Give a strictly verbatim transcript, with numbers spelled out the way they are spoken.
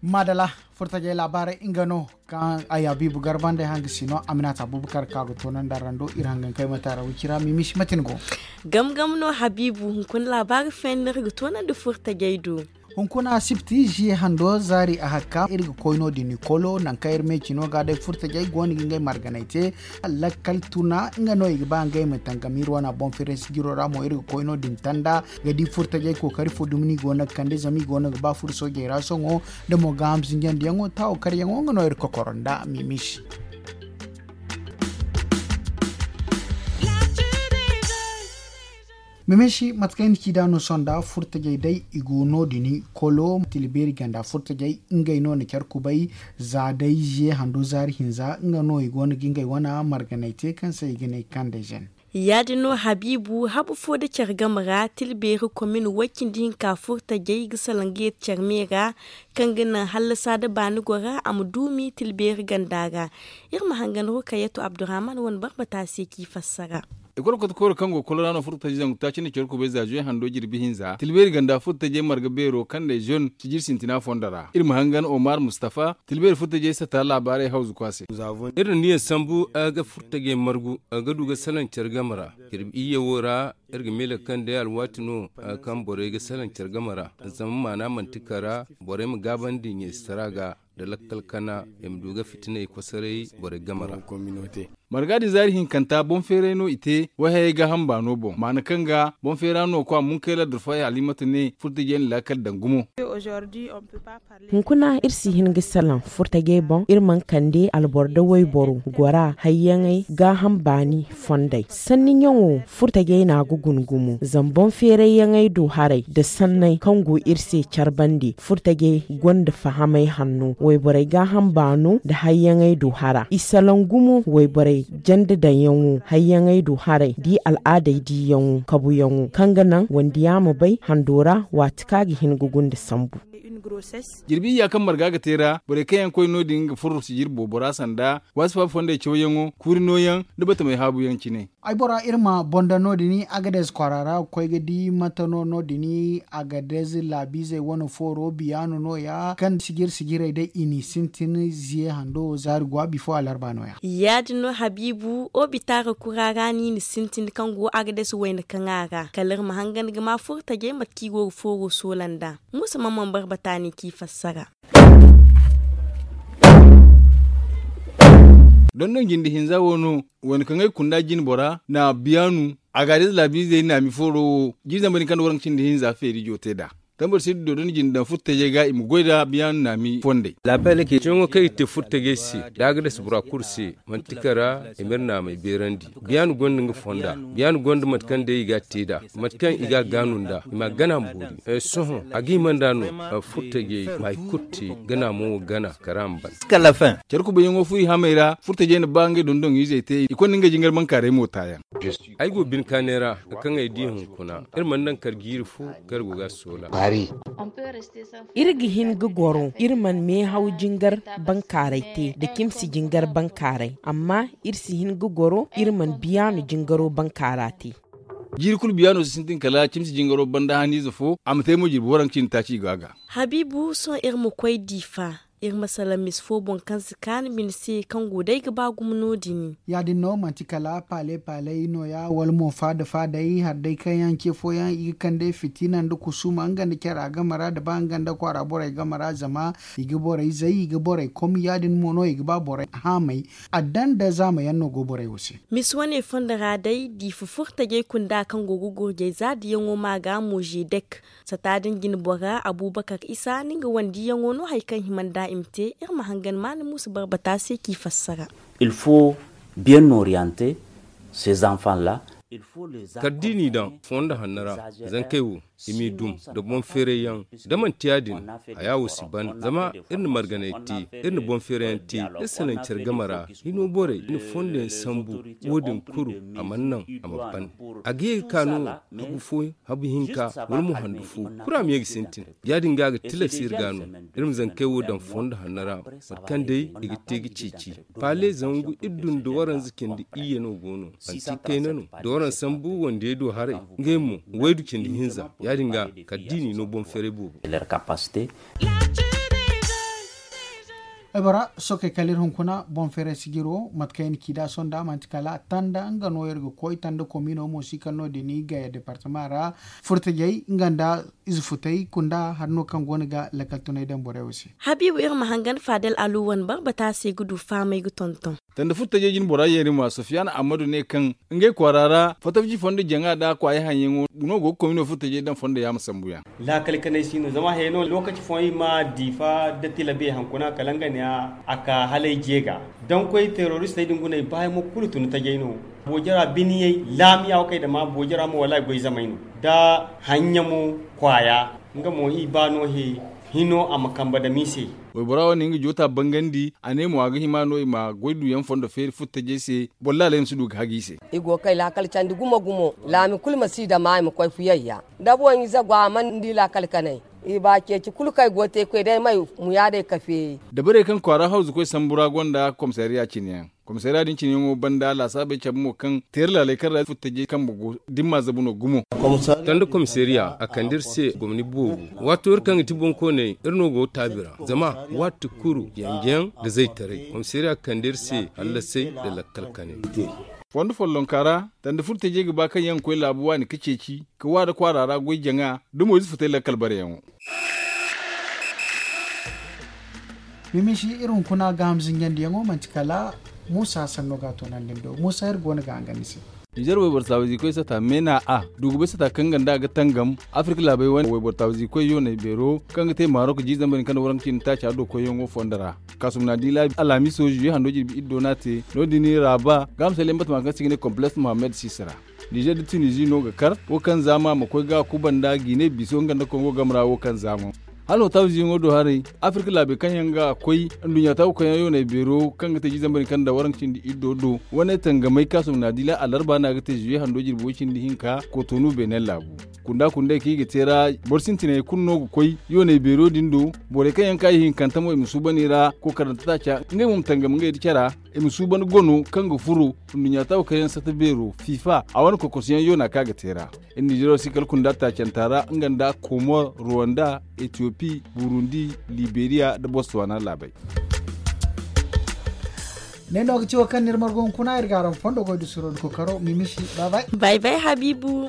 Madala, furtajey laabaarey nga no kaŋ ay habiibu garba nd'ey hanga si no. Aminata abubakar ka ga toonandi a ra nda iri hangankey ma taara wicira mimisi matin go. Gam gam no habiibu hunkuna laabaari fenni no iri ga toonandi furtajey do. Hunkuna sipti ziye hando zaari a hakka iri ga koy no- din ikolo nangu kaŋ iri meecino ga day furtajey go no ga ngey marganey te. Lakkal tuna nga no i ga ba ngey ma tangam iri wana boŋ firay sijiro ra mo iri ga koy no- din tanda ga di furtajey kookari fo dumi no i go no ga kande zama i go no ga ba furo soojey ra sohõ. Da mo gaaham zinjandiyaŋo taawo karyaŋo nga no iri kokoro nda mimisi. Mimisi mate kaŋ ay na ci nd'a no sohõ nda furtajey day i go no- din kolo tila beeri ganda furtajey ngey no na care kubay. Za day ziye hando zaari hinza nga no i go no ga ngey wane marganey te kaŋ se i ga ne kande zen. Ya- din no habiibu habu fo nda care game ra tila beeri komin way- cindi hinka furtajey ga salaŋ ga yeeti care me ra kaŋ ga naŋ hallasa nda baani gora a ma duumi tila beeri ganda ra. Iri ma hangan rukayatu abdurrahman wane barbata se k'i fassara. Ekol kotokooro kaŋ go kolora no furtajey zangu taaci nda care kubay za ziye hando jirbi hinza tila beeri ganda furtajey marga beero kaŋ day zone sijir sintina fondo ra iri ma hangan omar mustafa tila beeri furtajey sata laabaarey hawzu kwa se. Iri na niyaŋ sambu a ga furtajey margu a ga du ga salaŋ care game ra. Jirbi iyye wo ra iri ga miila kaŋ day alwaati no kaŋ borey ga salaŋ care game ra zama maana manti kara borey ma gaabandi ɲeesitara ga nda lakkal kana i ma du ga fitiney kosoray borey game ra. Marga din zaari hinkanta boŋ feeray no i te wayhayey gaaham baano boŋ maana kaŋ ga boŋ feera no kwa munkay ladda fo ay halimatu ne furtajey na laakal daŋ gumo. Hunkuna iri si hin ga salaŋ furtajey boŋ iri mana kande alboro nda wayboro gora hayyaŋey gaaham baani fondey sanni ɲaŋo furtajey no a ga guna gumo zama boŋ feerayyaŋey du haray nda sanney kaŋ go iri se care bande furtajey gonda fahamey hanno wayborey gaaham baano nda hayyaŋey du hara i salaŋ gumo wayborey janda daŋyaŋo hayyaŋey du haray da i al'aadey diiyaŋo kabuyaŋo kaŋ ga naŋ wandiya ma bay hando ra waati kaŋ a ga hin ga gunda sambu. Jirbi iyya kaŋ marga ga te ra borey kaŋ yaŋ koy no- din ga furo sijir boobo ra sanda waasi faabu fondey cawyaŋo kuuri nooyaŋ nda batamey haabuyaŋ cine. Ay bora iri ma boŋ daŋ no- din agades kwaara ra ga koy ga di mate no no- din agades laabiizey wane fooro biyaano nooya kaŋ sijir sijirey day i n'i sintin ziye hando zaari go a bifo alarba nooya. Ya- din no habiibu obitaara kura ra no i na sintin kaŋ go agades wayna kaŋ a ra kala iri ma hangan ga ma furtajey mate kaŋ i go ga fooro soola nd'a. Muusa mamman barbata no i k'i fassara. Dondon jinde hinza wo no wayna kaŋ ay kunda jine bora na biyaanu a ga day laabiizey naami fooro wo jine zambar din kaŋ nda waranka cindi hinza feeri jo te nd'a tambar sirri dondon jinde daŋ furtajey ga i ma goy nda biyaanu naami fondey. Ceeyaŋo kaŋ i ga te furtajey se da a ga dasa bora kulu se manti kara i ma iri naamey beerandi. Biyaanu gonda nga fonda biyaanu gonda mate kaŋ day i ga a te nd'a mate kaŋ i ga a gaanu nd'a i ma a gana ma boori sohõ a ga hima nd'a no. Furtajey ma hari kulu te gana mo wo gana kara ma ban. Care kubayaŋo fu i hamey ra furtajey na ba ngey dondon izey te i konda ngey jingar bankaaray mo taayaŋ. Ay go bine kaanay ra kaŋ ay di hunkuna iri mana naŋ kar jiiri fo kaŋ iri go ga a soola. Iri ga hin ga goro iri mana meehaw jingar bankaaray te nda cimsi jingar bankaaray amma iri si hin ga goro iri mana biyaano jingaro bankaara te. Jiiri kulu biyaano si sintin kala cimsi jingaro banda haniize fo a ma te mo jirbi waranka cindi taaci i go a ga. Habiibu sohõ iri ma koy diifa iri ma salaŋ mise fo boŋ kaŋ si kaanu bine se kaŋ go day ga ba gumo no- din. Ya- din no manti kala paale paaley nooya wala mo faada faadey hari day kaŋ yaŋ ce fooyaŋ i ga kande fitina nda kusuma nga nda cara game ra nda ba nga nda kwaara borey game ra zama i ga borey zay i ga borey kom ya- din mo no i ga ba borey haamay. Adda nda zaama yaŋ no go borey wo se. Mise wane fondo ra day diifa furtajey kunda kaŋ go ga gurjay zaadiyaŋo ma ga mo zedek sata din jine bora abubakar isa ni nga wandiyaŋo no hari kaŋ hima nd'a i ma te iri ma hangan maana muusa barbata se k'i fassara. Il faut bien orienter ces enfants là. Kala da i n'i daŋ fondo hanno ra, zankey wo, i m'i dum nda boŋ feeray yaŋ. Da manti ya- din, haya wo si ban zama iri na marganay te, iri na boŋ feeray yaŋ te, iri salaŋ care game ra. Hino borey i na fondo yaŋ sambu. Wo- din kulu, a mana naŋ a ma ban. A ga ye ga ka no habu fo, habu hinka, wala mo handu fo, kulu a ma ye ga sintin. Ya- din ga a ga tilas iri ga no iri ma zankey wo daŋ fondo hanno ra, mate kaŋ day i ga te ga ceeci. Paale zangu iri du nda waranza cindi iyye no go no. Manti kayna no da waranza sambu wandiyey do haray. Ngey mo, waydu cindi hinza. Ya- din ga kala da i n'i no boŋ feeray boobo. Ay bora sookey kala iri hunkuna boŋ feeray sijiro mate kaŋ i na ci nd'a sohõ nd'a manti kala tanda nga no iri ga koy tanda komiino mo si kala no- din i gaya departama ra. Furtajey nga nda ize futey kunda hari no kaŋ go no ga lakkal tunay daŋ borey wo se. Habiibu iri ma hangan faadal alu wane barbata se ga du faamay ga tonton. Tanda furtajey jine bora yeeri ma sofiyana ammadu ne kaŋ ngey kwaara ra fatafji fondo jaŋa nda kwaaya haŋyaŋo no go ga komino furtajey daŋ fondo yaama sambu yaŋ. Laakal kanay si no zama hayey no lookaci fooyaŋ i ma diifa da tilabe hankuna kala nga ne a ka halay jeega. Daŋ koy teroristey din guna i baayamo kulu tun tajey no. Boojara biniyey laamiya wo kay dama boojara mo wallaahi goy zamey no. Da haɲɲamo kwaaya nga mo i ba no he hino a ma kambe dama i se. Waybora wane nga joota bangandi a ne mo a ga hima no i ma goy duyaŋ fondo feeri furtajey se. Boro laaley ma si du ga hagi i se. I go ga kay laakal candi gumo gumo. Laami kulu ma si dama i ma koy fuyayya. Da boŋ ize go a mana di laakal kanay. I ba ceeci kulu kaŋ ay go ga te koy day may muyaadey ka feeri. Dabarey kaŋ kwaara hawzu koy sambu ra gonda komisariya cine yaŋ. Komisariya din cine yaŋo banda laasaabey cabe mo kaŋ teeri laaley kaŋ ra furtajey kambe go da ni ma zabu no gumo. Tanda komisariya a kande iri se gomni boobo. Waato iri kaŋ ga ti boŋkooney iri no go ga taabi ra zama waati kulu yanje yaŋ nda zaytaray komisariya kande iri se hallasay nda lakkal kanay. Fondo follonka ra tanda furtajey ga ba kaŋ yaŋ ga koy laabu waani ga ceeci ka waada kwaara ra goy jaŋa da moyze futay lakkal bareyaŋo. Mimisi iri hunkuna gaaham zinjandiyaŋo manti kala muusa sanno ga a toonandi ni do muusa iri go no ga hangan ni se. Nizer wayboro taawizi koy sata meena a dugubay sata kaŋ ganda a ga tangam afirka laabey wane wayboro taawizi koy yoonay beero kaŋ ga te marok ji zambar ni kaŋ da waranka cindi taaca do koyyaŋo fondo ra. Kaasum na di laabi alhamiso juye hando jirbi iddo no a te no- din ra ba gaaham salyaŋ batama kaŋ se ga ne kompleks mohammed sisira. Nizer da tunizi no ga kar wo kaŋ zaama ma koy ga kuba nda gine biso nga nda kongo game ra wo kaŋ zaama. Hala no taawiziyaŋo do haray afirka laabey kaŋ yaŋ ga koy nduɲɲa taawu kaŋ yaŋ yoonay beero kaŋ ga te jizambarin kaŋ nda waranka cindi iddo do wane tangamay kaasum na di la alarba no a ga te zuye hando jirbi way cindi hinka kotonu beenen laabu. Kunda kundey kaŋ i ga te ra boro sintiney kulu no ga koy yoonay beero din do. Borey kaŋ yaŋ ka i hinkanta mo i ma suuban i ra kookarante taaca ngey mo ma tangam ngey da cara. I ma suuban gono kaŋ ga furo nduɲɲa taawu kaŋ yaŋ sata beero fifa a wane kokosuyaŋ yoona kaŋ a ga te ra. Iri nizero si kala kunda taacanta ra nga nda komor ruwanda etiyopi burundi liberiya nda botswana laabey. Ne no ga ci wo kaŋ ni iri margo hunkuna iri ga araŋ fondo goy da suro da kokaro mimisi. Bay bay habiibu.